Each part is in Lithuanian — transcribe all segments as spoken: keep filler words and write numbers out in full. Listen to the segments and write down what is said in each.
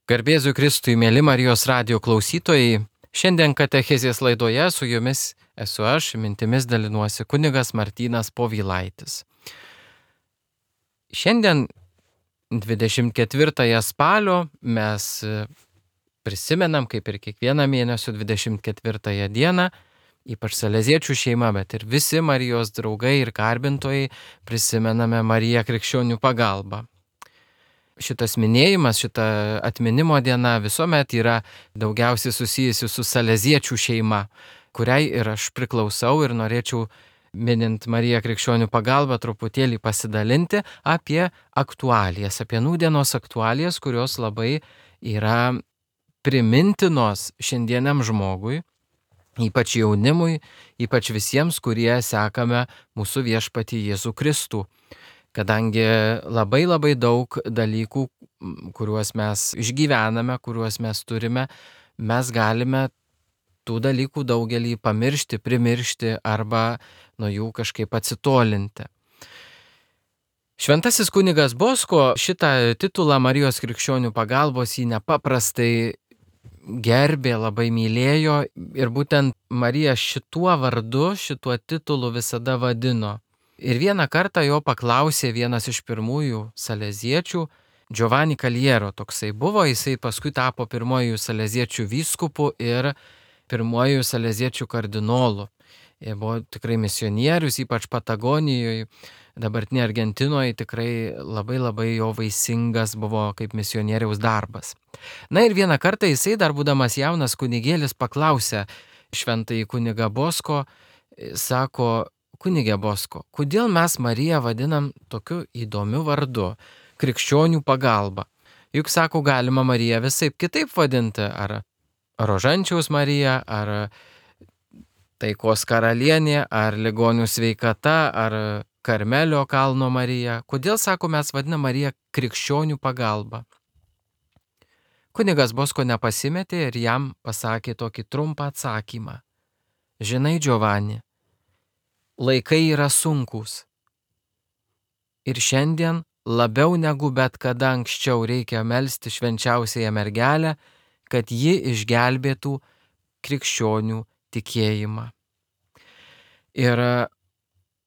Garbėsiu Kristui, mėly Marijos radijo klausytojai. Šiandien katechezės laidoje su jumis esu aš, mintimis dalinuosi kunigas Martynas Povilaitis. Šiandien dvidešimt ketvirtąją spalio mes prisimenam, kaip ir kiekvieną mėnesio dvidešimt ketvirtąją dieną, ypač saleziečių šeima, bet ir visi Marijos draugai ir garbintojai prisimename Mariją Krikščionių pagalbą. Šitas minėjimas, šita atminimo diena visuomet yra daugiausiai susijusi su saleziečių šeima, kuriai ir aš priklausau ir norėčiau, minint Mariją Krikščionių pagalbą, truputėlį pasidalinti apie aktualijas, apie nūdienos aktualijas, kurios labai yra primintinos šiandieniam žmogui, ypač jaunimui, ypač visiems, kurie sekame mūsų viešpatį Jėzų Kristų. Kadangi labai labai daug dalykų, kuriuos mes išgyvename, kuriuos mes turime, mes galime tų dalykų daugelį pamiršti, primiršti arba nuo jų kažkaip atsitolinti. Šventasis kunigas Bosko šitą titulą Marijos Krikščionių pagalbos jį nepaprastai gerbė, labai mylėjo ir būtent Mariją šituo vardu, šituo titulu visada vadino. Ir vieną kartą jo paklausė vienas iš pirmųjų saleziečių, Giovanni Caliero toksai buvo, jisai paskui tapo pirmojų saleziečių vyskupu ir pirmojų saleziečių kardinolu. Jie buvo tikrai misionierius, ypač Patagonijoje, dabartinėje Argentinoje, tikrai labai labai jo vaisingas buvo kaip misionieriaus darbas. Na ir vieną kartą jisai, dar būdamas jaunas kunigėlis, paklausė šventąjį kunigą Bosko, sako: Kunigė Bosko, kodėl mes Mariją vadinam tokiu įdomiu vardu - Krikščionių pagalba? Juk, sako, galima Mariją visaip kitaip vadinti, ar Rožančiaus Marija, ar Taikos karalienė, ar ligonių sveikata, ar Karmelio kalno Marija. Kodėl, sako, mes vadinam Mariją Krikščionių pagalba? Kunigas Bosko nepasimetė ir jam pasakė tokį trumpą atsakymą. Žinai, Giovanni, laikai yra sunkūs. Ir šiandien labiau negu bet kada anksčiau reikia melsti švenčiausiąją mergelę, kad ji išgelbėtų krikščionių tikėjimą. Ir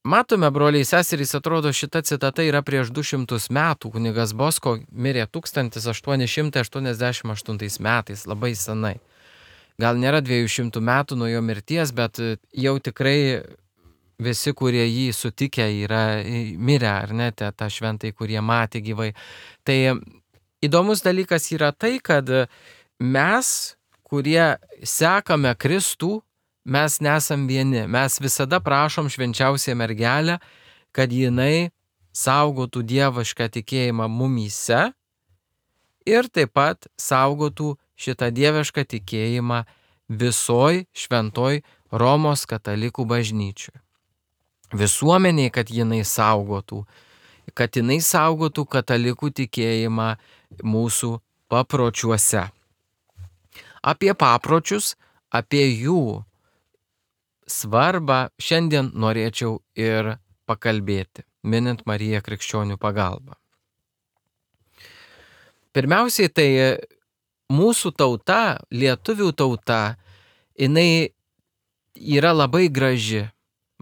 matome, broliai seserys, atrodo, šita citata yra prieš du šimtus metų. Kunigas Bosko mirė tūkstantis aštuoni šimtai aštuoniasdešimt aštuntais metais, labai senai. Gal nėra dviejų šimtų metų nuo jo mirties, bet jau tikrai visi, kurie jį sutikę, yra mirę, ar ne, tą šventai, kurie matė gyvai. Tai įdomus dalykas yra tai, kad mes, kurie sekame Kristų, mes nesam vieni. Mes visada prašom švenčiausią mergelę, kad jinai saugotų dievišką tikėjimą mumyse ir taip pat saugotų šitą dievišką tikėjimą visoj šventoj Romos katalikų bažnyčioj. Visuomeniai, kad jinai saugotų, kad jinai saugotų katalikų tikėjimą mūsų papročiuose. Apie papročius, apie jų svarbą šiandien norėčiau ir pakalbėti, minint Mariją Krikščionių pagalbą. Pirmiausiai, tai mūsų tauta, lietuvių tauta, jinai yra labai graži.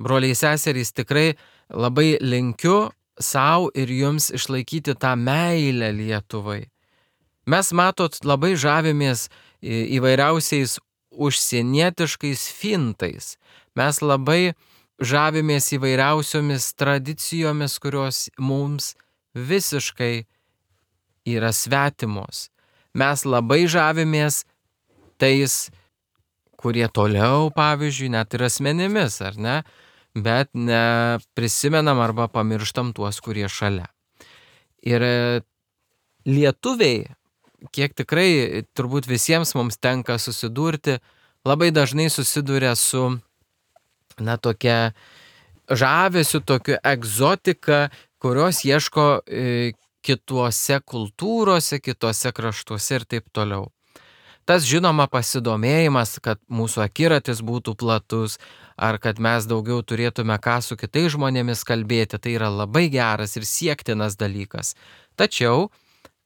Broliai seserys, tikrai labai linkiu savo ir jums išlaikyti tą meilę Lietuvai. Mes, matot, labai žavimės įvairiausiais užsienietiškais fintais. Mes labai žavimės įvairiausiomis tradicijomis, kurios mums visiškai yra svetimos. Mes labai žavimės tais, kurie toliau, pavyzdžiui, net ir asmenimis, ar ne? Bet neprisimenam arba pamirštam tuos, kurie šalia. Ir lietuviai, kiek tikrai turbūt visiems mums tenka susidurti, labai dažnai susiduria su, na, tokia žavesiu, tokia egzotika, kurios ieško e, kituose kultūrose, kituose kraštuose ir taip toliau. Tas, žinoma, pasidomėjimas, kad mūsų akiratis būtų platus, ar kad mes daugiau turėtume ką su kitais žmonėmis kalbėti, tai yra labai geras ir siektinas dalykas. Tačiau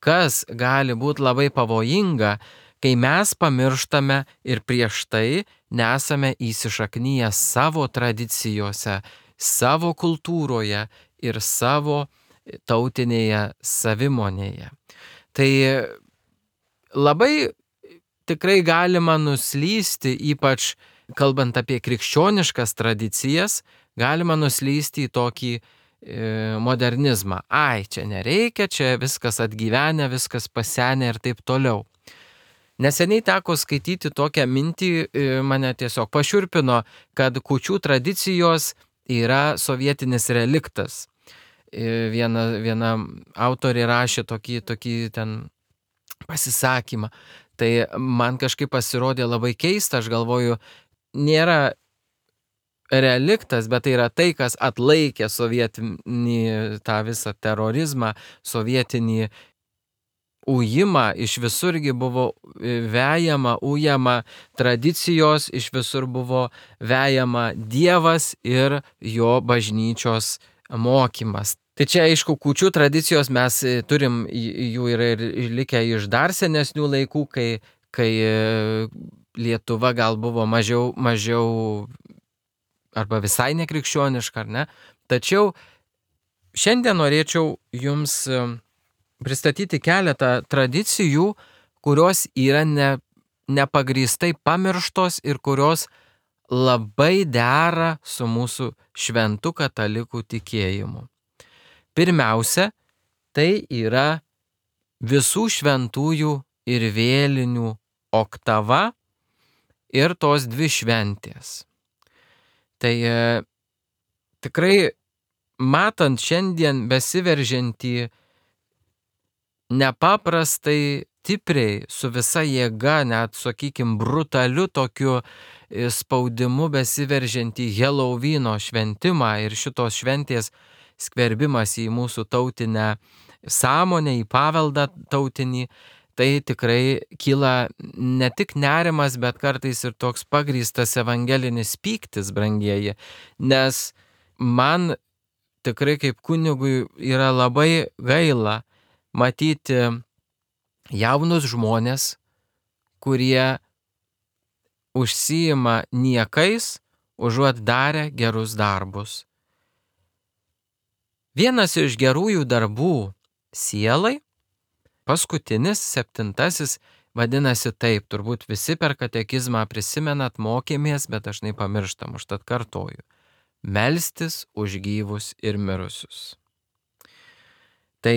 kas gali būti labai pavojinga, kai mes pamirštame ir prieš tai nesame įsišaknyję savo tradicijose, savo kultūroje ir savo tautinėje savimonėje. Tai labai tikrai galima nuslysti, ypač kalbant apie krikščioniškas tradicijas, galima nuslysti į tokį e, modernizmą. Ai, čia nereikia, čia viskas atgyvenę, viskas pasenę ir taip toliau. Neseniai teko skaityti tokią mintį, e, mane tiesiog pašiurpino, kad kūčių tradicijos yra sovietinis reliktas. E, viena, viena autorė rašė tokį, tokį ten pasisakymą. Tai man kažkaip pasirodė labai keista, aš galvoju, nėra reliktas, bet tai yra tai, kas atlaikė sovietinį tą visą terorizmą, sovietinį ujimą, iš visurgi buvo vejama, ujama tradicijos, iš visur buvo vejama Dievas ir jo bažnyčios mokymas. Tai čia, aišku, kūčių tradicijos mes turim, jų yra ir likę iš dar senesnių laikų, kai, kai Lietuva gal buvo mažiau, mažiau arba visai nekrikščioniška, ar ne? Tačiau šiandien norėčiau jums pristatyti keletą tradicijų, kurios yra ne, nepagrįstai pamirštos ir kurios labai dera su mūsų šventu katalikų tikėjimu. Pirmiausia, tai yra visų šventųjų ir vėlinių oktava ir tos dvi šventės. Tai e, tikrai matant šiandien besiveržiantį nepaprastai stipriai, su visa jėga, net, sakykim, brutaliu tokiu spaudimu besiveržiantį Helovyno šventimą ir šitos šventės skverbimas į mūsų tautinę sąmonę, į paveldą tautinį, tai tikrai kyla ne tik nerimas, bet kartais ir toks pagrįstas evangelinis pyktis, brangieji, nes man tikrai kaip kunigui yra labai gaila matyti jaunus žmonės, kurie užsiima niekais, užuot darę gerus darbus. Vienas iš gerųjų darbų sielai, paskutinis, septintasis, vadinasi taip, turbūt visi per katekizmą prisimenat, mokėmės, bet dažnai pamirštam, užtat kartoju. Melstis už gyvus ir mirusius. Tai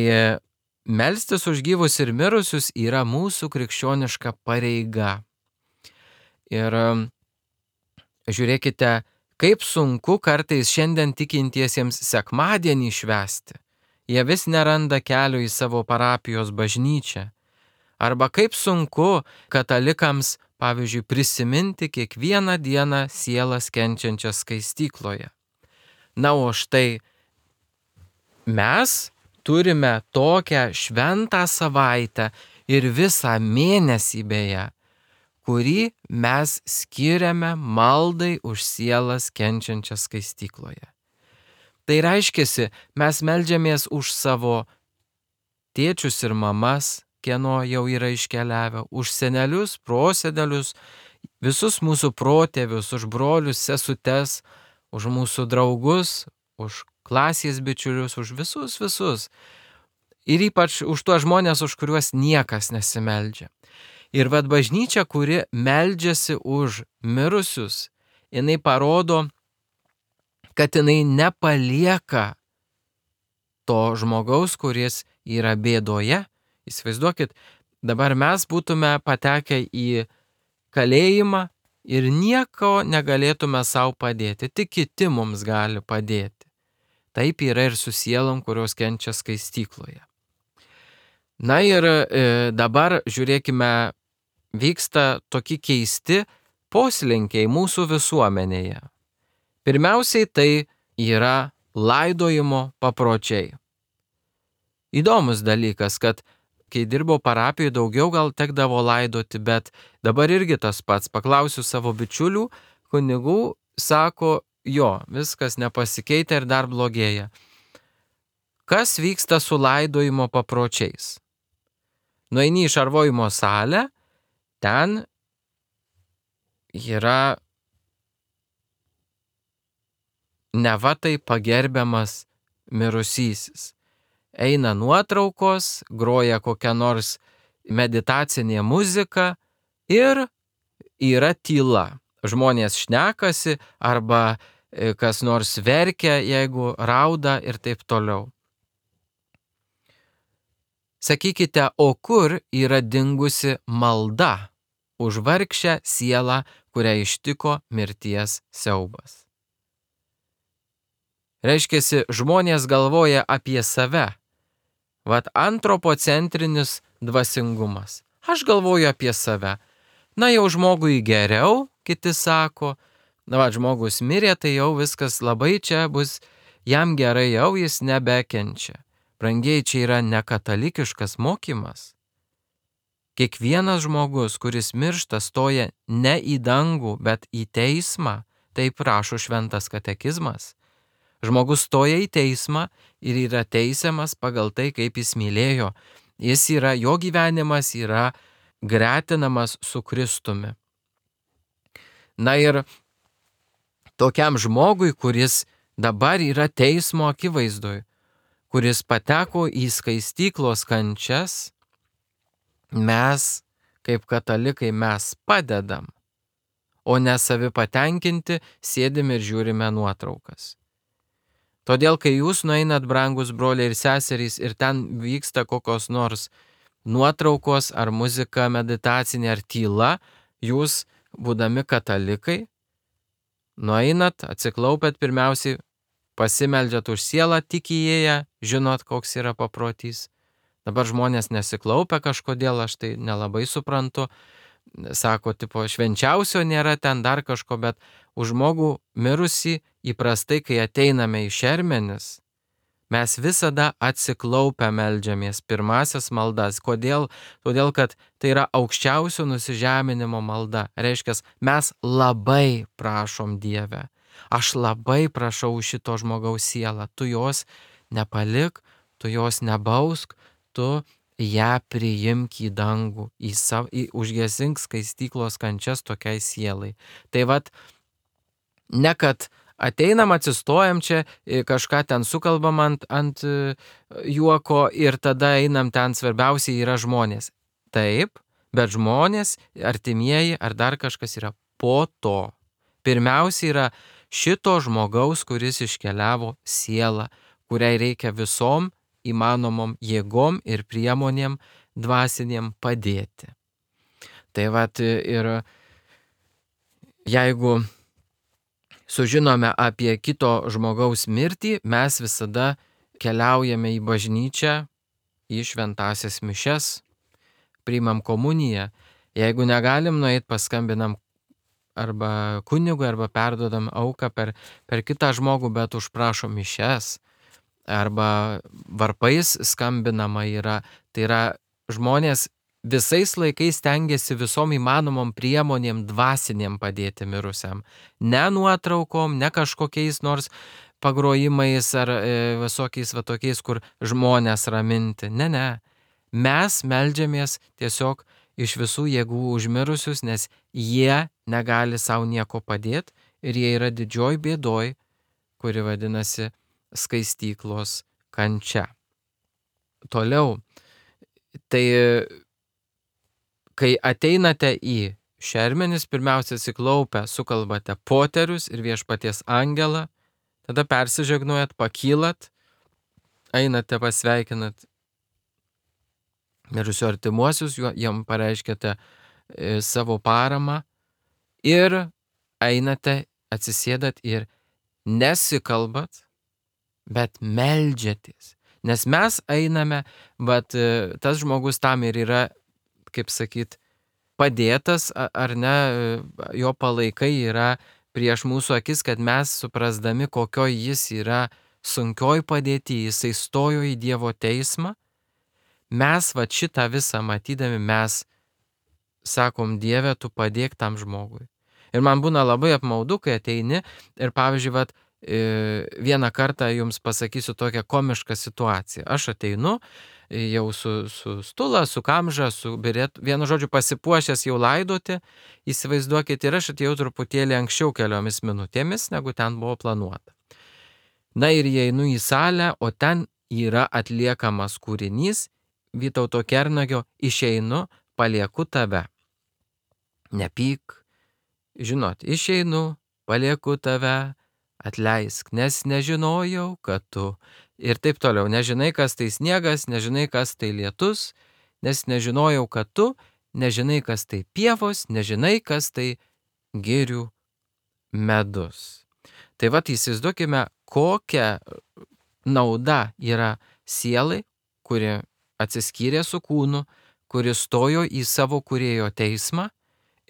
melstis už gyvus ir mirusius yra mūsų krikščioniška pareiga. Ir žiūrėkite, kaip sunku kartais šiandien tikintiesiems sekmadienį švęsti. Jie vis neranda kelio į savo parapijos bažnyčią. Arba kaip sunku katalikams, pavyzdžiui, prisiminti kiekvieną dieną sielas kenčiančias skaistykloje. Na, o štai mes turime tokią šventą savaitę ir visą mėnesį beje, kurį mes skiriame maldai už sielas kenčiančias skaistykloje. Tai reiškiasi, mes meldžiamės už savo tėčius ir mamas, kieno jau yra iškeliavę, už senelius, prosenelius, visus mūsų protėvius, už brolius, sesutes, už mūsų draugus, už klasės bičiulius, už visus, visus. Ir ypač už tuos žmonės, už kuriuos niekas nesimeldžia. Ir vad bažnyčia, kuri meldžiasi už mirusius, jinai parodo, kad jinai nepalieka to žmogaus, kuris yra bėdoje. Įsivaizduokit, dabar mes būtume patekę į kalėjimą ir nieko negalėtume savo padėti, tik kiti mums gali padėti. Taip yra ir su sielom, kurios kenčia skaistykloje. Na ir e, dabar žiūrėkime, vyksta tokie keisti poslinkiai mūsų visuomenėje. Pirmiausiai tai yra laidojimo papročiai. Įdomus dalykas, kad kai dirbau parapijoje, daugiau gal tekdavo laidoti, bet dabar irgi tas pats. Paklausiu savo bičiulių, kunigų, sako, jo, viskas nepasikeitė ir dar blogėja. Kas vyksta su laidojimo papročiais? Nueini į šarvojimo salę, ten yra neva tai pagerbiamas mirusysis. Eina nuotraukos, groja kokia nors meditacinė muzika ir yra tyla. Žmonės šnekasi arba kas nors verkia, jeigu rauda ir taip toliau. Sakykite, o kur yra dingusi malda už vargšę sielą, kurią ištiko mirties siaubas? Reiškiasi, žmonės galvoja apie save. Vat antropocentrinis dvasingumas. Aš galvoju apie save. Na jau žmogui geriau, kiti sako. Na va, žmogus mirė, tai jau viskas labai čia bus, jam gerai jau jis nebekenčia. Brangiai, čia yra nekatalikiškas mokymas. Kiekvienas žmogus, kuris miršta, stoja ne į dangų, bet į teismą. Taip rašo šventas katekizmas. Žmogus stoja į teismą ir yra teisiamas pagal tai, kaip jis mylėjo. Jis yra, jo gyvenimas yra gretinamas su Kristumi. Na ir tokiam žmogui, kuris dabar yra teismo akivaizdoj, kuris pateko į skaistyklos kančias, mes, kaip katalikai, mes padedam, o ne savi patenkinti, sėdim ir žiūrime nuotraukas. Todėl, kai jūs nueinat, brangus broliai ir seserys, ir ten vyksta kokios nors nuotraukos, ar muzika meditacinė, ar tyla, jūs, būdami katalikai, nueinat, atsiklaupėt pirmiausiai, pasimeldžiat už sielą tik įėję, žinot, koks yra paprotys. Dabar žmonės nesiklaupia kažkodėl, aš tai nelabai suprantu. Sako, tipo, švenčiausio nėra ten dar kažko, bet už žmogų mirusį įprastai, kai ateiname į šermenis, mes visada atsiklaupę meldžiamės pirmasias maldas. Kodėl? Todėl, kad tai yra aukščiausio nusižeminimo malda. Reiškia, mes labai prašom Dievę. Aš labai prašau šito žmogaus sielą. Tu jos nepalik, tu jos nebausk, tu ją priimk į dangų, į savo, į užgesink skaistyklos kančias tokiai sielai. Tai vat, ne kad ateinam, atsistojam čia, kažką ten sukalbam ant, ant juoko ir tada einam ten, svarbiausiai yra žmonės. Taip, bet žmonės, artimieji ar dar kažkas yra po to. Pirmiausia yra šito žmogaus, kuris iškeliavo sielą, kuriai reikia visom įmanomom jėgom ir priemonėm dvasinėm padėti. Tai vat ir jeigu sužinome apie kito žmogaus mirtį, mes visada keliaujame į bažnyčią, į šventąsias mišias, priimam komuniją. Jeigu negalim nueit, paskambinam arba kunigui, arba perduodam auką per, per kitą žmogų, bet užprašom mišias. Arba varpais skambinama yra, tai yra žmonės visais laikais stengiasi visom įmanomom priemonėm dvasinėm padėti mirusiam. Ne nuotraukom, ne kažkokiais nors pagrojimais ar e, visokiais va tokiais, kur žmonės raminti. Ne, ne. Mes meldžiamės tiesiog iš visų jėgų užmirusius, nes jie negali savo nieko padėti ir jie yra didžioj bėdoj, kuri vadinasi skaistyklos kančia. Toliau, tai kai ateinate į šermenis, pirmiausia atsiklaupę, sukalbate poterius ir viešpaties angelą, tada persižegnuojat, pakylat, einate pasveikinat mirusių artimuosius, jam pareiškite e, savo paramą ir einate, atsisėdat ir nesikalbat, bet meldžiatės. Nes mes einame, bet tas žmogus tam ir yra, kaip sakyt, padėtas, ar ne, jo palaikai yra prieš mūsų akis, kad mes suprasdami, kokioj jis yra sunkioj padėti, jisai stojo į Dievo teismą, mes va šitą visą matydami, mes sakom, Dieve, tu padėk tam žmogui. Ir man būna labai apmaudu, kai ateini ir, pavyzdžiui, vat, vieną kartą jums pasakysiu tokią komišką situaciją. Aš ateinu, jau su, su stula, su kamža, su berėtu, vienu žodžiu pasipuošęs jau laidoti, įsivaizduokit, ir aš atėjau truputėlį anksčiau keliomis minutėmis, negu ten buvo planuota. Na ir įeinu į salę, o ten yra atliekamas kūrinys Vytauto Kernagio Išeinu, palieku tave. Nepyk, žinot, išeinu, palieku tave, atleisk, nes nežinojau, kad tu. Ir taip toliau, nežinai, kas tai sniegas, nežinai, kas tai lietus, nes nežinojau, kad tu, nežinai, kas tai pievos, nežinai, kas tai girių medus. Tai vat įsivaizduokime, kokia nauda yra sielai, kuri atsiskyrė su kūnu, kuri stojo į savo kūrėjo teismą,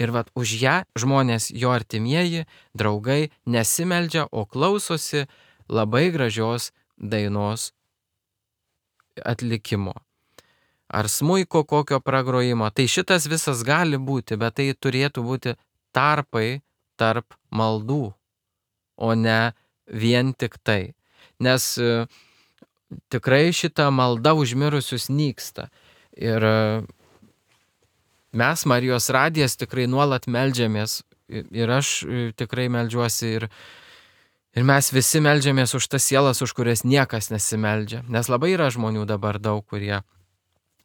ir vat už ją žmonės, jo artimieji, draugai nesimeldžia, o klausosi labai gražios dainos atlikimo. Ar smuiko kokio pragrojimo. Tai šitas visas gali būti, bet tai turėtų būti tarpai tarp maldų, o ne vien tik tai. Nes e, tikrai šita malda už mirusius nyksta. Ir e, mes, Marijos radijas, tikrai nuolat meldžiamės. Ir aš e, tikrai meldžiuosi ir, ir mes visi meldžiamės už tas sielas, už kurias niekas nesimeldžia. Nes labai yra žmonių dabar daug, kurie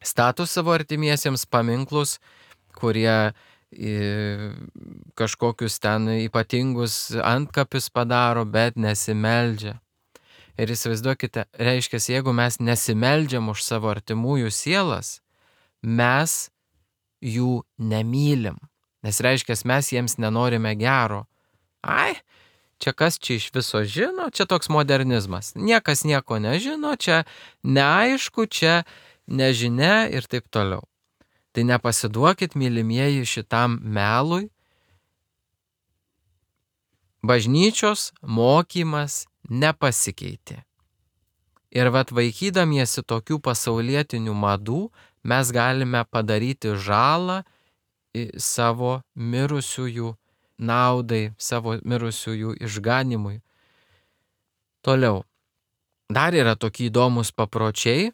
stato savo artimiesiems paminklus, kurie kažkokius ten ypatingus antkapius padaro, bet nesimeldžia. Ir įsivaizduokite, reiškia, jeigu mes nesimeldžiam už savo artimųjų sielas, mes jų nemylim. Nes reiškia, mes jiems nenorime gero. Ai, čia kas čia iš viso žino, čia toks modernizmas. Niekas nieko nežino, čia neaišku, čia nežinia ir taip toliau. Tai nepasiduokit, mylimieji, šitam melui. Bažnyčios mokymas nepasikeitė. Ir vat vaikydamiesi tokių pasaulietinių madų, mes galime padaryti žalą savo mirusiųjų naudai, savo mirusiųjų išganimui. Toliau. Dar yra tokie įdomus papročiai,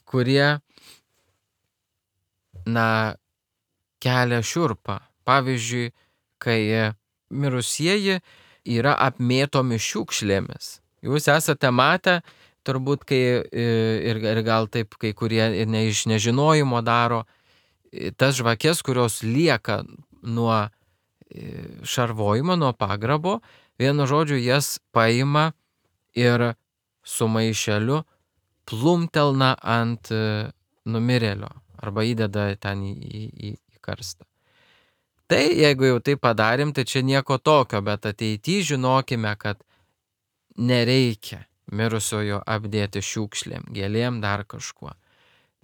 kurie na, kelia šiurpą. Pavyzdžiui, kai mirusieji yra apmėtomi šiukšlėmis. Jūs esate matę, turbūt, kai ir, ir gal taip kai kurie ne iš nežinojimo daro, tas žvakės, kurios lieka nuo šarvojimo, nuo pagrabo, vienu žodžiu jas paima ir su maišeliu plumtelna ant numirėlio. Arba įdeda ten į, į, į karstą. Tai jeigu jau tai padarėm, tai čia nieko tokio, bet ateityje žinokime, kad nereikia mirusiojo apdėti šiukšlėm, gėlėm, dar kažkuo.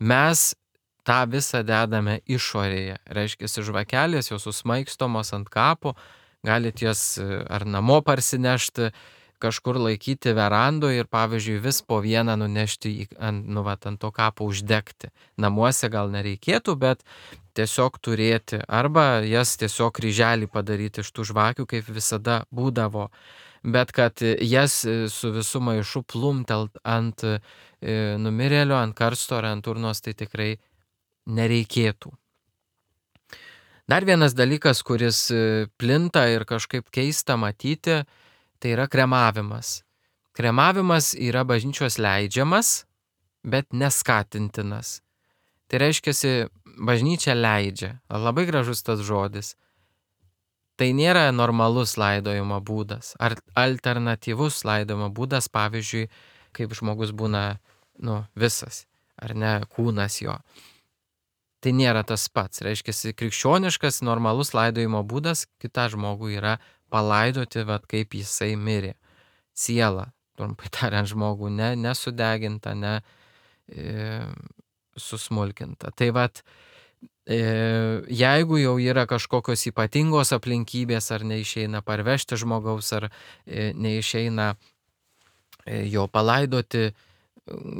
Mes tą visą dedame išorėje. Reiškia, žvakelės jau susmaikstomos ant kapo, galit jas ar namo parsinešti, kažkur laikyti verandoje ir, pavyzdžiui, vis po vieną nunešti į, ant, nu, vat, ant to kapo uždegti. Namuose gal nereikėtų, bet tiesiog turėti. Arba jas tiesiog kryželį padaryti iš tų žvakių, kaip visada būdavo. Bet kad jas su visu maišu plumtelt ant e, numirėlio, ant karsto ar ant urnos, tai tikrai nereikėtų. Dar vienas dalykas, kuris plinta ir kažkaip keista matyti, tai yra kremavimas. Kremavimas yra bažnyčios leidžiamas, bet neskatintinas. Tai reiškia, bažnyčia leidžia. Labai gražus tas žodis. Tai nėra normalus laidojimo būdas. Ar alternatyvus laidojimo būdas, pavyzdžiui, kaip žmogus būna, nu, visas, ar ne, kūnas jo. Tai nėra tas pats. Reiškia, krikščioniškas, normalus laidojimo būdas kitą žmogų yra palaidoti, vat, kaip jisai mirė. Siela, trumpai tariant, žmogų ne, nesudeginta, ne e, susmulkinta. Tai vat, e, jeigu jau yra kažkokios ypatingos aplinkybės, ar neišeina parvežti žmogaus, ar e, neišeina e, jo palaidoti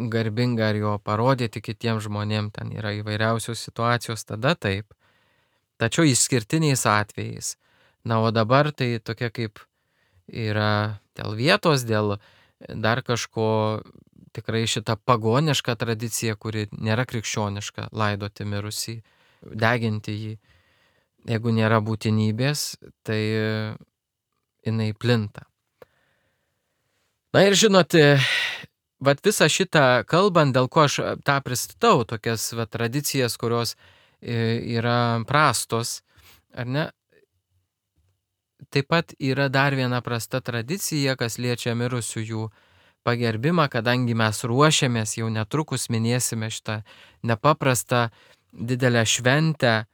garbingai, ar jo parodyti kitiems žmonėms, ten yra įvairiausios situacijos, tada taip. Tačiau išskirtiniais atvejais. Na, o dabar tai tokia kaip yra dėl vietos, dėl dar kažko, tikrai šitą pagonišką tradiciją, kuri nėra krikščioniška, laidoti mirusį, deginti jį. Jeigu nėra būtinybės, tai jinai plinta. Na ir žinote, vat visą šitą kalbant, dėl ko aš tą pristatau, tokias vat tradicijas, kurios yra prastos, ar ne? Taip pat yra dar viena prasta tradicija, kas liečia mirusiųjų pagerbimą, kadangi mes ruošiamės, jau netrukus minėsime šitą nepaprastą didelę šventę,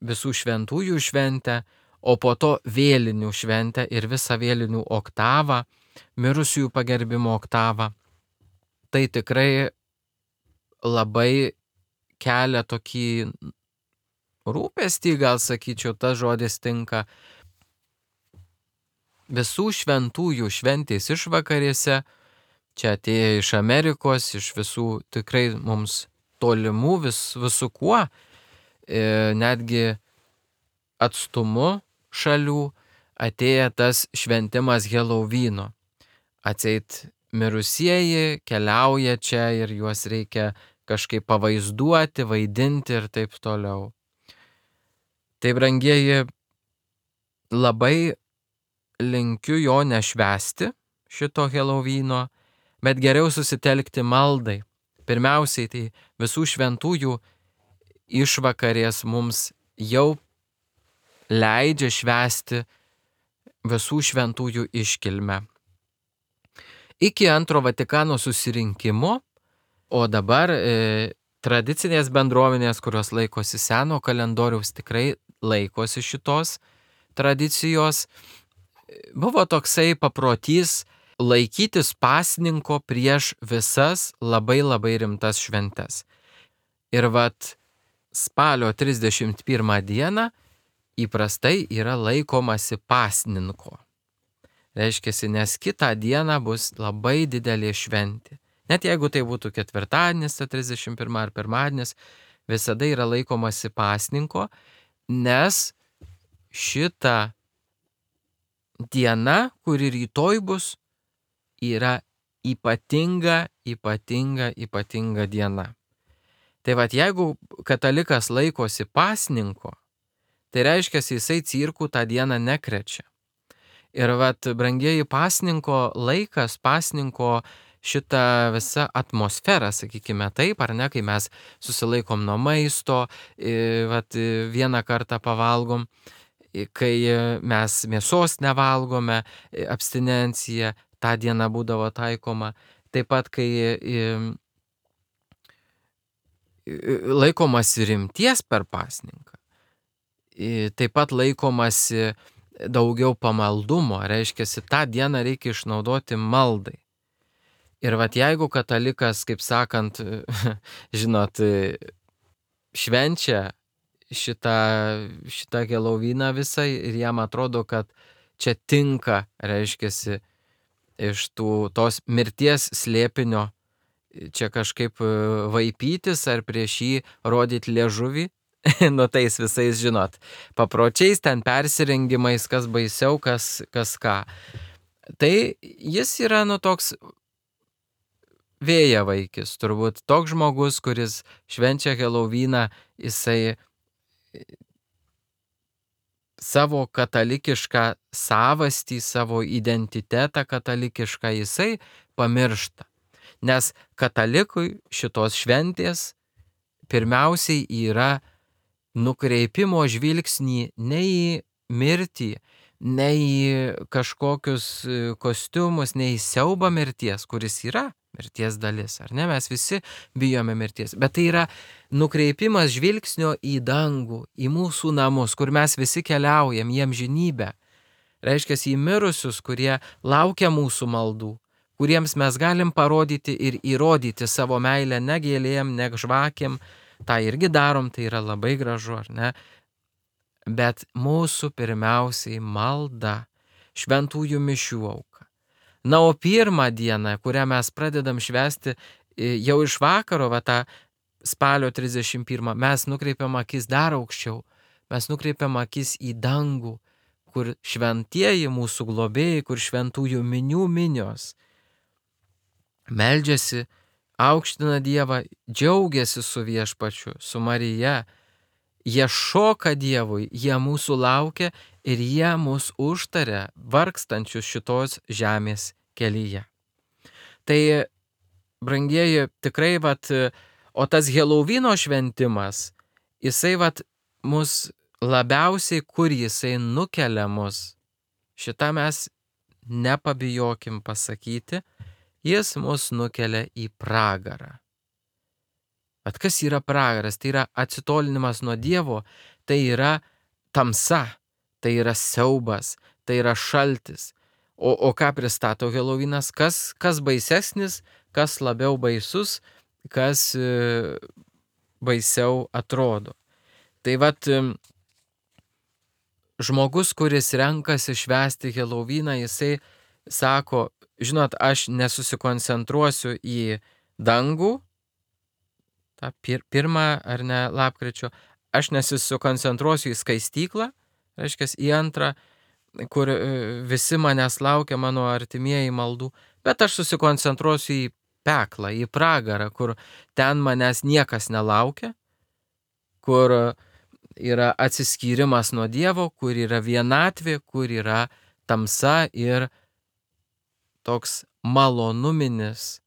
visų šventųjų šventę, o po to vėlinių šventę ir visą vėlinių oktavą, mirusiųjų pagerbimo oktavą. Tai tikrai labai kelia tokį rūpestį, gal sakyčiau, tas žodis tinka. Visų šventųjų šventės išvakarėse, čia atėję iš Amerikos, iš visų tikrai mums tolimų, vis, visų kuo, e, netgi atstumu šalių, atėję tas šventimas Helovyno. Atseit mirusieji keliauja čia ir juos reikia kažkaip pavaizduoti, vaidinti ir taip toliau. Tai, brangieji, labai linkiu jo nešvęsti, šito Helovyno, bet geriau susitelkti maldai. Pirmiausiai, tai visų šventųjų išvakarės mums jau leidžia švęsti visų šventųjų iškilmę. Iki antro Vatikano susirinkimo, o dabar e, tradicinės bendruomenės, kurios laikosi seno kalendoriaus, tikrai laikosi šitos tradicijos, buvo toksai paprotys laikytis pasninko prieš visas labai labai rimtas šventes. Ir vat spalio trisdešimt pirmą dieną įprastai yra laikomasi pasninko. Reiškiasi, nes kitą dieną bus labai didelė šventė. Net jeigu tai būtų ketvirtadienis, tai trisdešimt pirmą ar pirmadienis, visada yra laikomasi pasninko, nes šita diena, kuri rytoj bus, yra ypatinga, ypatinga, ypatinga diena. Tai vat jeigu katalikas laikosi pasninko, tai reiškia, jisai cirkų tą dieną nekrečia. Ir vat, brangieji, pasninko laikas, pasninko šitą visą atmosferą, sakykime taip, ar ne, kai mes susilaikom nuo maisto, vat, vieną kartą pavalgom, kai mes mėsos nevalgome, abstinencija tą dieną būdavo taikoma. Taip pat, kai laikomasi rimties per pasninką, taip pat laikomasi daugiau pamaldumo, reiškia, tą dieną reikia išnaudoti maldai. Ir vat jeigu katalikas, kaip sakant, žinot, švenčia šitą, šitą Helovyną visą ir jam atrodo, kad čia tinka, reiškia, iš tų, tos mirties slėpinio čia kažkaip vaipytis ar prieš jį rodyti liežuvį, nu tais visais, žinot, papročiais, ten persirengimais, kas baisiau, kas, kas ką. Tai jis yra, nu, toks vėjavaikis, turbūt toks žmogus, kuris švenčia Helovyną, jisai savo katalikišką savastį, savo identitetą katalikišką jisai pamiršta. Nes katalikui šitos šventės pirmiausiai yra nukreipimo žvilgsnį ne į mirtį, ne į kažkokius kostiumus, ne į siaubą mirties, kuris yra mirties dalis, ar ne? Mes visi bijome mirties, bet tai yra nukreipimas žvilgsnio į dangų, į mūsų namus, kur mes visi keliaujam, į amžinybę. Reiškia, į mirusius, kurie laukia mūsų maldų, kuriems mes galim parodyti ir įrodyti savo meilę ne gėlėm, ne žvakėm, tą irgi darom, tai yra labai gražu, ar ne? Bet mūsų pirmiausiai malda, šventųjų mišių auka. Na, o pirmą dieną, kurią mes pradedam švęsti jau iš vakaro, va tą spalio trisdešimt pirmą, mes nukreipiam akis dar aukščiau, mes nukreipiam akis į dangų, kur šventieji mūsų globėjai, kur šventųjų minių minios meldžiasi aukština Dievą, džiaugiasi su viešpačiu, su Marija. Jie šoka Dievui, jie mūsų laukia ir jie mus užtaria vargstančius šitos žemės kelyje. Tai, brangieji, tikrai, vat, o tas Helovino šventimas, jisai, vat, mus labiausiai, kur jisai nukelia mus, šitą mes nepabijokim pasakyti, jis mus nukelia į pragarą. Bet kas yra pragaras? Tai yra atsitolinimas nuo Dievo, tai yra tamsa, tai yra siaubas, tai yra šaltis. O, o ką pristato Helovinas? Kas, kas baisesnis, kas labiau baisus, kas e, baisiau atrodo. Tai vat e, žmogus, kuris renkasi švęsti Heloviną, jisai sako, žinot, aš nesusikoncentruosiu į dangų, tą pir, pirmą ar ne lapkričio, aš nesusikoncentruosiu į skaistyklą, reiškia į antrą, kur visi manęs laukia, mano artimieji maldų, bet aš susikoncentruosiu į peklą, į pragarą, kur ten manęs niekas nelaukia, kur yra atsiskyrimas nuo Dievo, kur yra vienatvė, kur yra tamsa ir toks malonuminis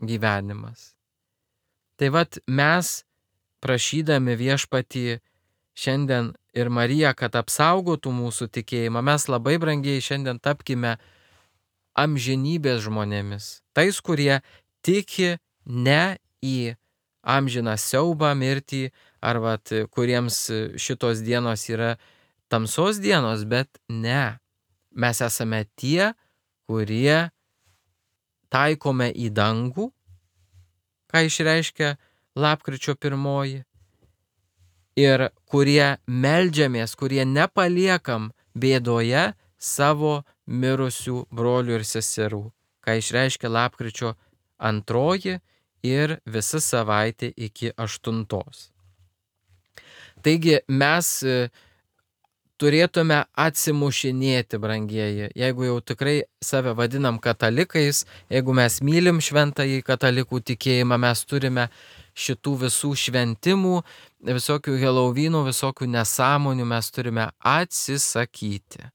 gyvenimas. Tai vat mes, prašydami viešpatį šiandien ir Mariją, kad apsaugotų mūsų tikėjimą, mes labai brangiai šiandien tapkime amžinybės žmonėmis. Tais, kurie tiki ne į amžiną siaubą, mirtį, ar vat, kuriems šitos dienos yra tamsos dienos, bet ne. Mes esame tie, kurie taikome į dangų, ką išreiškia lapkričio pirmoji, ir kurie meldžiamės, kurie nepaliekam bėdoje savo mirusių brolių ir seserų, ką išreiškia lapkričio antroji ir visa savaitė iki aštuntos. Taigi mes turėtume atsimušinėti, brangieji, jeigu jau tikrai save vadinam katalikais, jeigu mes mylim šventąjį katalikų tikėjimą, mes turime šitų visų šventimų, visokių Helovinų, visokių nesąmonių mes turime atsisakyti.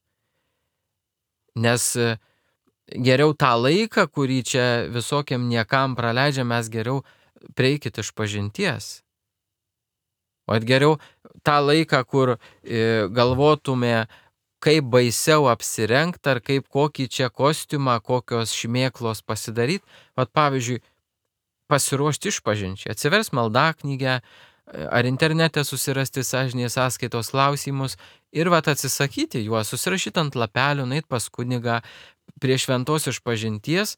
Nes geriau tą laiką, kurį čia visokiam niekam praleidžiam, mes geriau prieikit iš pažinties. O geriau tą laiką, kur e, galvotume, kaip baisiau apsirengti, ar kaip kokį čia kostiumą, kokios šmėklos pasidaryti. Vat pavyzdžiui, pasiruošti išpažinčiai, atsivers maldaknygę, ar internete susirasti sąžinės sąskaitos klausimus ir vat atsisakyti juos, susirašyti ant lapelių, nueit pas kunigą prie šventos išpažinties.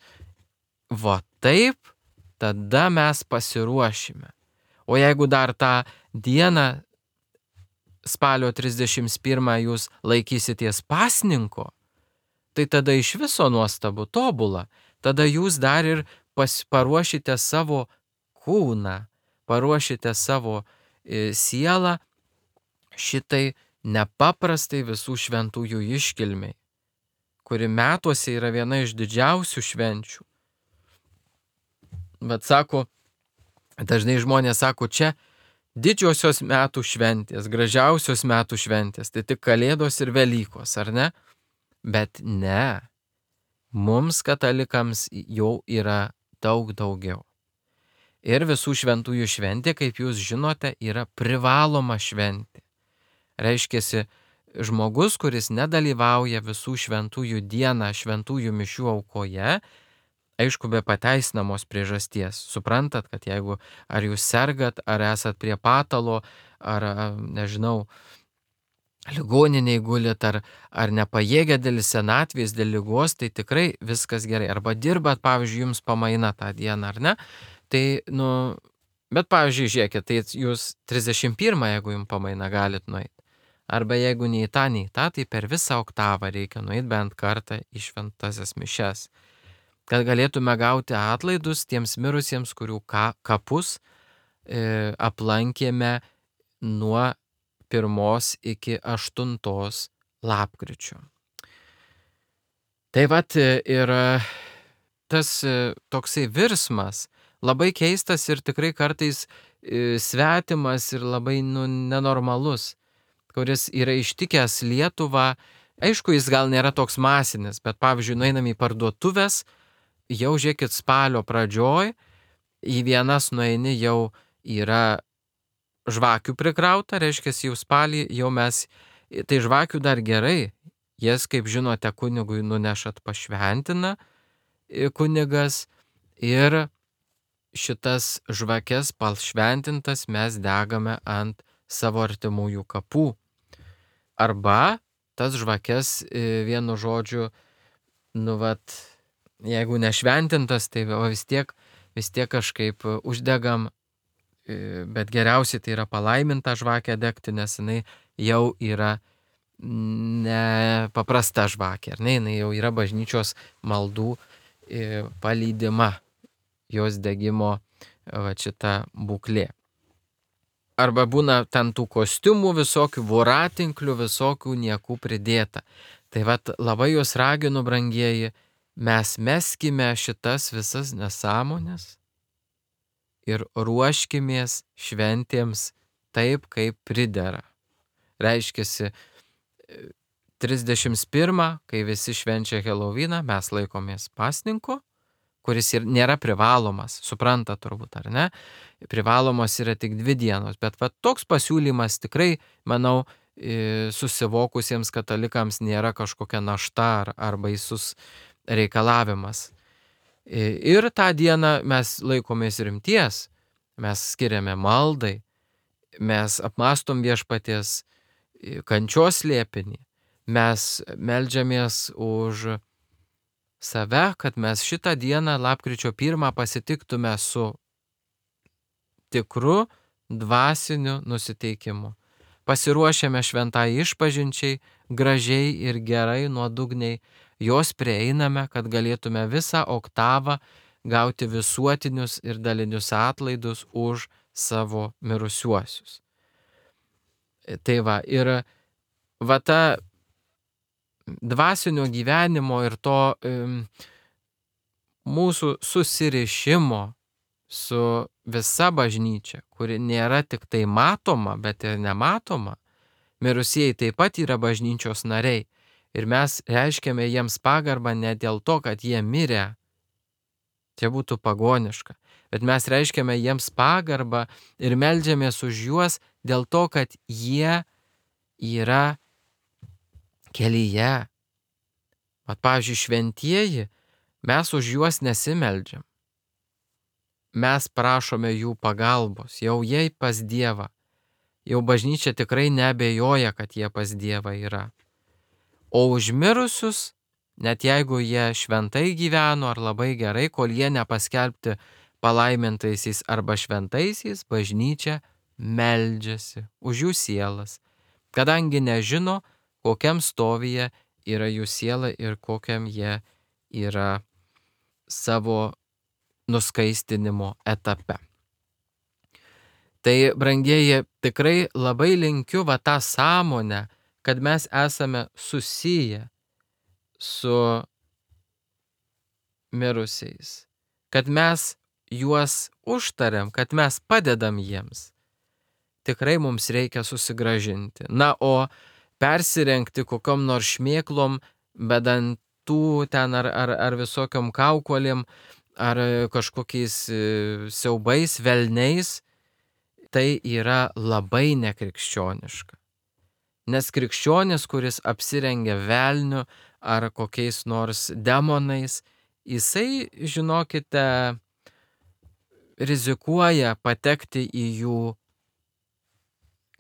Va taip, tada mes pasiruošime. O jeigu dar tą dieną spalio trisdešimt pirmą jūs laikysities pasninko, tai tada iš viso nuostabu, tobula. Tada jūs dar ir pas, paruošite savo kūną, paruošite savo e, sielą šitai nepaprastai visų šventųjų iškilmiai, kuri metuose yra viena iš didžiausių švenčių. Bet sako, dažnai žmonės sako, čia didžiosios metų šventės, gražiausios metų šventės, tai tik Kalėdos ir Velykos, ar ne? Bet ne, mums katalikams jau yra daug daugiau. Ir visų šventųjų šventė, kaip jūs žinote, yra privaloma šventė. Reiškiasi, žmogus, kuris nedalyvauja visų šventųjų dieną šventųjų mišių aukoje, aišku, be pateisinamos priežasties. Suprantat, kad jeigu ar jūs sergat, ar esat prie patalo, ar, nežinau, ligoniniai gulit, ar, ar nepajėgia dėl senatvės, dėl ligos, tai tikrai viskas gerai. Arba dirbat, pavyzdžiui, jums pamaina tą dieną, ar ne? Tai, nu, bet, pavyzdžiui, žiūrėkit, tai jūs trisdešimt pirmą, jeigu jums pamaina, galit nueiti. Arba jeigu nei tą, nei tą, tai per visą oktavą reikia nueiti bent kartą į šventasias mišias, kad galėtume gauti atlaidus tiems mirusiems, kurių ka, kapus e, aplankėme nuo pirmos iki aštuntos lapkričio. Tai vat ir tas toksai virsmas labai keistas ir tikrai kartais e, svetimas ir labai nu, nenormalus, kuris yra ištikęs Lietuvą. Aišku, jis gal nėra toks masinis, bet pavyzdžiui, nueinam į parduotuvės, jau žiūrėkit spalio pradžioj, į vienas nueini jau yra žvakių prikrauta, reiškia jau spalį, jau mes, tai žvakių dar gerai, jas, kaip žinote, kunigui nunešat pašventina kunigas ir šitas žvakes pašventintas mes degame ant savo artimųjų kapų. Arba tas žvakes vienu žodžiu, nu vat, jeigu nešventintas, tai vis tiek, vis tiek kažkaip uždegam, bet geriausiai tai yra palaiminta žvakė degti, nes jinai jau yra nepaprasta žvakė, ar ne, jinai jau yra bažnyčios maldų palydima jos degimo va, šita būklė. Arba būna ten tų kostiumų visokių, voratinklių visokių niekų pridėta. Tai vat labai jūs raginu, brangieji, mes meskime šitas visas nesąmonės ir ruoškimės šventėms taip, kaip pridera. Reiškiasi, trisdešimt pirmą, kai visi švenčia Helovyną, mes laikomės pasninko, kuris ir nėra privalomas, supranta turbūt, ar ne? Privalomos yra tik dvi dienos, bet va, toks pasiūlymas tikrai, manau, susivokusiems katalikams nėra kažkokia našta ar, ar baisus reikalavimas. Ir tą dieną mes laikomės rimties, mes skiriame maldai, mes apmastom viešpaties kančios slėpinį, mes meldžiamės už save, kad mes šitą dieną lapkričio pirmą pasitiktume su tikru dvasiniu nusiteikimu. Pasiruošėme šventai išpažinčiai, gražiai ir gerai nuodugniai, jos prieiname, kad galėtume visą oktavą gauti visuotinius ir dalinius atlaidus už savo mirusiuosius. Tai va, ir va ta dvasinio gyvenimo ir to um, mūsų susirišimo su visa bažnyčia, kuri nėra tik tai matoma, bet ir nematoma. Mirusieji taip pat yra bažnyčios nariai ir mes reiškiame jiems pagarbą ne dėl to, kad jie mirė, čia būtų pagoniška, bet mes reiškiame jiems pagarbą ir meldžiamės už juos dėl to, kad jie yra kelyje. Vat, pavyzdžiui, šventieji, mes už juos nesimeldžiam. Mes prašome jų pagalbos, jau jie pas Dievą. Jau bažnyčia tikrai neabejoja, kad jie pas Dievą yra. O užmirusius, net jeigu jie šventai gyveno ar labai gerai, kol jie nepaskelbti palaimintaisiais arba šventaisiais, bažnyčia meldžiasi už jų sielas, kadangi nežino, kokiam stovyje yra jų siela ir kokiam jie yra savo nuskaistinimo etape. Tai, brangieji, tikrai labai linkiu va tą sąmonę, kad mes esame susiję su mirusiais, kad mes juos užtariam, kad mes padedam jiems. Tikrai mums reikia susigrąžinti. Na, o persirengti kokiom nors šmėklom, bedantų ten ar, ar, ar visokiom kaukolėm, ar kažkokiais siaubais, velniais, tai yra labai nekrikščioniška. Nes krikščionis, kuris apsirengia velniu ar kokiais nors demonais, jisai, žinokite, rizikuoja patekti į jų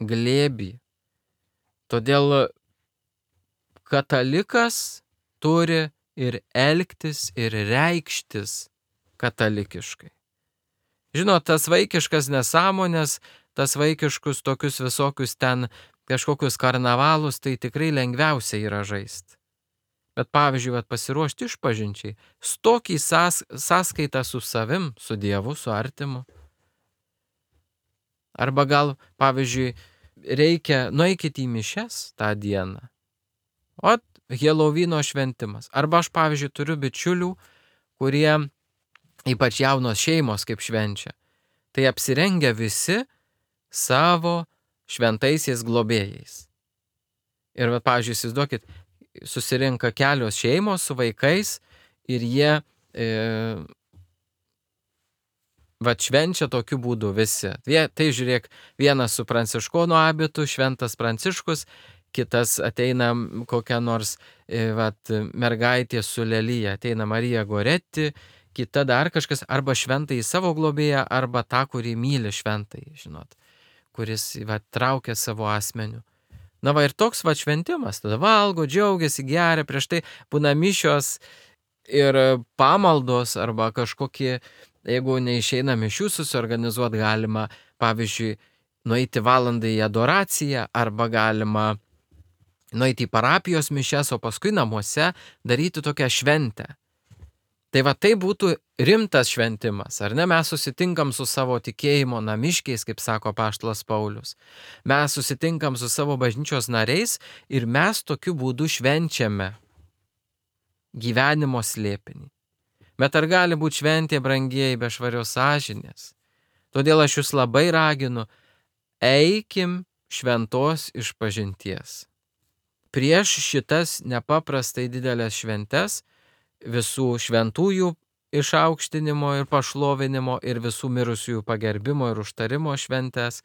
glėbį. Todėl katalikas turi ir elgtis, ir reikštis katalikiškai. Žinot, tas vaikiškas nesąmonės, tas vaikiškus tokius visokius ten kažkokius karnavalus, tai tikrai lengviausia yra žaisti. Bet pavyzdžiui, vat, pasiruošti išpažinčiai, stokį sąs, sąskaitą su savim, su Dievu, su artimu. Arba gal, pavyzdžiui, reikia, nueikit į mišias tą dieną. O Helovyno šventimas. Arba aš, pavyzdžiui, turiu bičiulių, kurie ypač jaunos šeimos kaip švenčia, tai apsirengia visi savo šventaisiais globėjais. Ir, va, pavyzdžiui, įsivaizduokit, susirinka kelios šeimos su vaikais ir jie e, va, švenčia tokiu būdu visi. Tai žiūrėk, vienas su pranciškono abitu, šventas Pranciškus, kitas ateina kokia nors e, va, mergaitė su lelyje, ateina Marija Goretti, kita dar kažkas, arba šventąjį savo globėją, arba tą, kurį myli šventąjį, žinot, kuris va, traukia savo asmeniu. Na va, ir toks va šventimas, tada valgo, džiaugiasi, geria, prieš tai būna mišios ir pamaldos arba kažkokie, jeigu neišeina mišių susiorganizuoti, galima, pavyzdžiui, nueiti valandą į adoraciją arba galima nueiti į parapijos mišias, o paskui namuose daryti tokią šventę. Tai va, tai būtų rimtas šventimas, ar ne? Mes susitinkam su savo tikėjimo namiškiais, kaip sako apaštalas Paulius. Mes susitinkam su savo bažnyčios nariais ir mes tokiu būdu švenčiame gyvenimo slėpinį. Bet ar gali būti šventė, brangieji, be švarios sąžinės? Todėl aš jūs labai raginu, eikim šventos išpažinties. Prieš šitas nepaprastai didelės šventes, visų šventųjų išaukštinimo ir pašlovinimo ir visų mirusiųjų pagerbimo ir užtarimo šventes,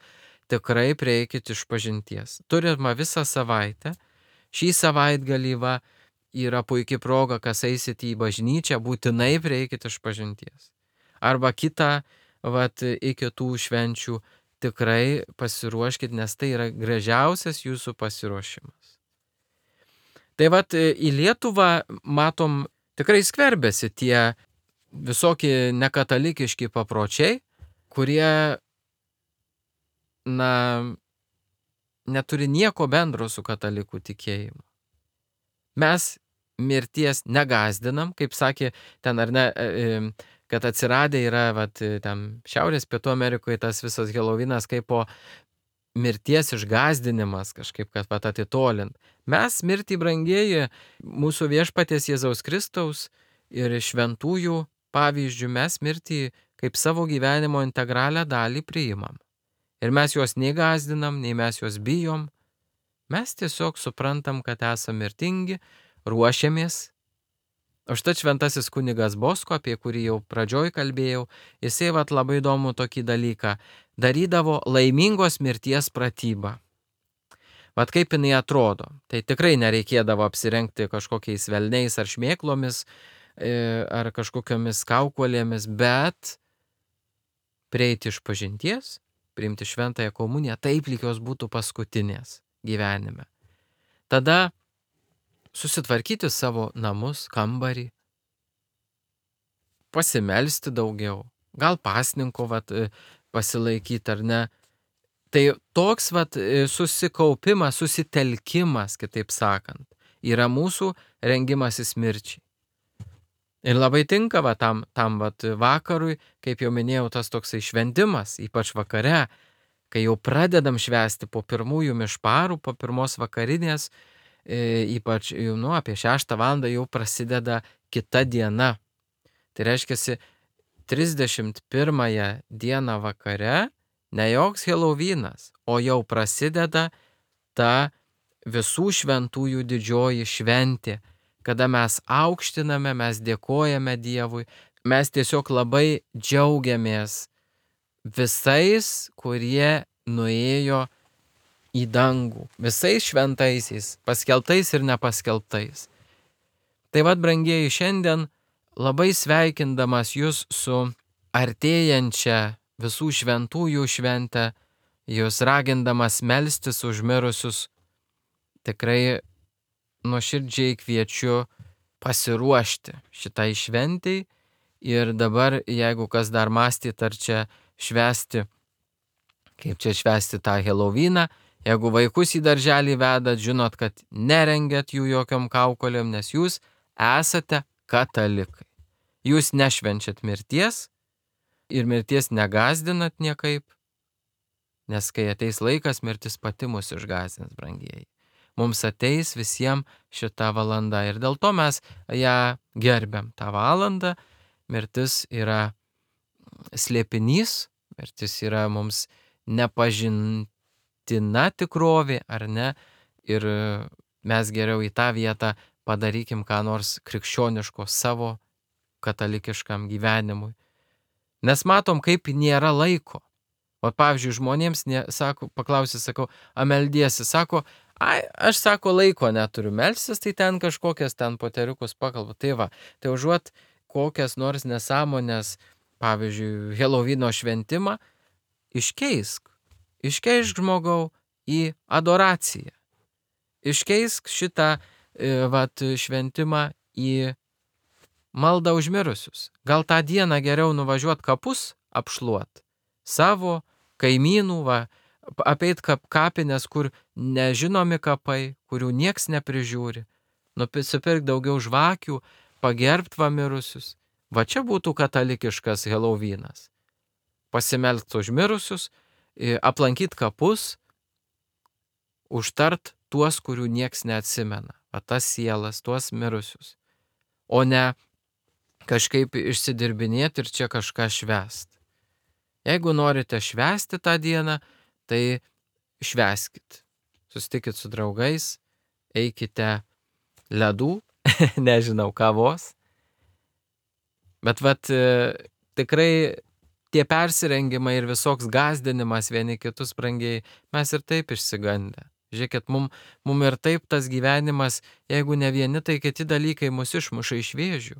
tikrai prieikit išpažinties. Turime visą savaitę. Šį savaitgalį va, yra puikia proga, kas eisit į bažnyčią, būtinai prieikit išpažinties. Arba kitą, vat, iki tų švenčių tikrai pasiruoškit, nes tai yra gražiausias jūsų pasiruošimas. Tai vat, į Lietuvą matom, tikrai skverbėsi tie visokie nekatalikiški papročiai, kurie, na, neturi nieko bendro su katalikų tikėjimu. Mes mirties negazdinam, kaip sakė ten, ar ne, kad atsiradę yra, vat, ten Šiaurės Pietų Amerikoje tas visas Helovinas kaip po mirties išgazdinimas kažkaip, kad pat atitolint. Mes mirtį, brangieji, mūsų viešpaties Jėzaus Kristaus ir šventųjų pavyzdžių, mes mirtį kaip savo gyvenimo integralią dalį priimam. Ir mes juos nei gazdinam, nei mes juos bijom. Mes tiesiog suprantam, kad esame mirtingi, ruošiamės. O štai šventasis kunigas Bosko, apie kurį jau pradžioj kalbėjau, jisai vat labai įdomu tokį dalyką, darydavo laimingos mirties pratybą. Vat kaip jinai atrodo, tai tikrai nereikėdavo apsirengti kažkokiais velniais ar šmėklomis, ar kažkokiamis kaukolėmis, bet prieiti išpažinties, priimti šventąją komuniją, taip lyg jos būtų paskutinės gyvenime. Tada susitvarkyti savo namus, kambarį, pasimelsti daugiau, gal pasninko vat, pasilaikyti ar ne. Tai toks vat, susikaupimas, susitelkimas, kitaip sakant, yra mūsų rengimasis mirčiai. Ir labai tinka va, tam, tam vat, vakarui, kaip jau minėjau, tas toksai šventimas, ypač vakare, kai jau pradedam švęsti po pirmųjų mišparų, po pirmos vakarinės, ypač nu, apie šeštą valandą jau prasideda kita diena. Tai reiškia, trisdešimt pirmąją dieną vakare ne joks Helovinas, o jau prasideda ta visų šventųjų didžioji šventė, kada mes aukštiname, mes dėkojame Dievui, mes tiesiog labai džiaugiamės visais, kurie nuėjo į dangų, visais šventaisiais, paskelbtais ir nepaskelbtais. Tai vad, brangieji, šiandien labai sveikindamas jūs su artėjančia visų šventųjų šventę, jūs ragindamas melstis už mirusius, tikrai nuoširdžiai kviečiu pasiruošti šitai šventei. Ir dabar, jeigu kas dar mąstyt, ar čia švęsti, kaip čia švęsti tą Heloviną, jeigu vaikus į darželį vedat, žinot, kad nerengiat jų jokiom kaukolėm, nes jūs esate katalikai. Jūs nešvenčiat mirties ir mirties negazdinat niekaip, nes kai ateis laikas, mirtis pati mus išgazdins, brangieji. Mums ateis visiems šita valanda ir dėl to mes ją gerbiam tą valandą mirtis yra slėpinys, mirtis yra mums nepažintina tikrovė, ar ne? Ir mes geriau į tą vietą padarykim ką nors krikščioniško savo katalikiškam gyvenimui. Nes matom, kaip nėra laiko. O pavyzdžiui, žmonėms, ne, sako, paklausė, sakau, a meldiesi, sako, ai, aš sako, laiko neturiu melstis, tai ten kažkokias ten poteriukus pakalbu. Tai va, tai užuot kokias nors nesąmonės, pavyzdžiui, Helovino šventimą, iškeisk, iškeisk žmogau į adoraciją. Iškeisk šitą e, vat, šventimą į maldą už mirusius. Gal tą dieną geriau nuvažiuot kapus apšluot, savo kaimynų, va, apeit kap, kapines, kur nežinomi kapai, kurių nieks neprižiūri, nusipirk daugiau žvakių, pagerbt va mirusius. Va čia būtų katalikiškas Helovinas. Pasimelst už mirusius, aplankyt kapus, užtart tuos, kurių nieks neatsimena. Va tas sielas, tuos mirusius. O ne kažkaip išsidirbinėti ir čia kažką švęst. Jeigu norite švęsti tą dieną, tai švęskit. Susitikit su draugais, eikite ledų, nežinau, kavos. Bet vat tikrai tie persirengimai ir visoks gazdinimas vieni kitus brangiai, mes ir taip išsigandę. Žiūrėkit, mum, mum ir taip tas gyvenimas, jeigu ne vieni, tai kiti dalykai mus išmuša iš vėžių.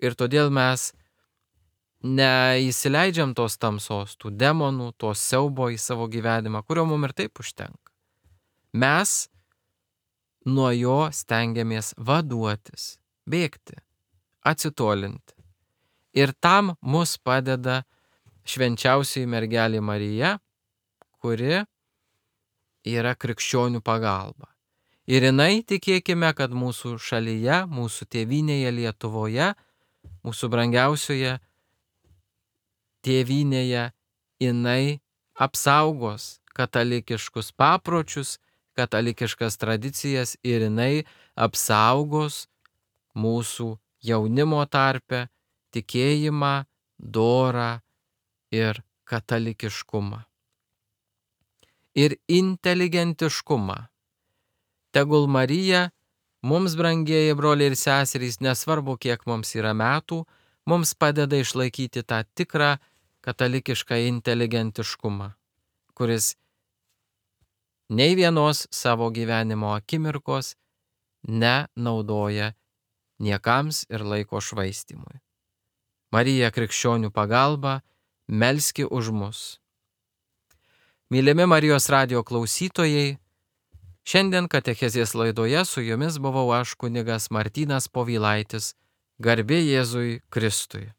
Ir todėl mes neįsileidžiam tos tamsos, tų demonų, tos siaubo į savo gyvenimą, kurio mum ir taip užtenka. Mes nuo jo stengiamės vaduotis, bėgti, atsitolinti. Ir tam mus padeda švenčiausioji mergelė Marija, kuri yra krikščionių pagalba. Ir jinai, tikėkime, kad mūsų šalyje, mūsų tėvynėje Lietuvoje, mūsų brangiausioje tėvynėje, jinai apsaugos katalikiškus papročius, katalikiškas tradicijas ir jinai apsaugos mūsų jaunimo tarpe tikėjimą, dorą ir katalikiškumą. Ir inteligentiškumą. Tegul Marija, mums brangieji broliai ir seserys, nesvarbu kiek mums yra metų, mums padeda išlaikyti tą tikrą katalikišką inteligentiškumą, kuris nei vienos savo gyvenimo akimirkos nenaudoja niekams ir laiko švaistymui. Marija krikščionių pagalba, melski už mus. Mylimi Marijos radijo klausytojai, šiandien katechezės laidoje su jumis buvau aš kunigas Martynas Povilaitis, garbė Jėzui Kristui.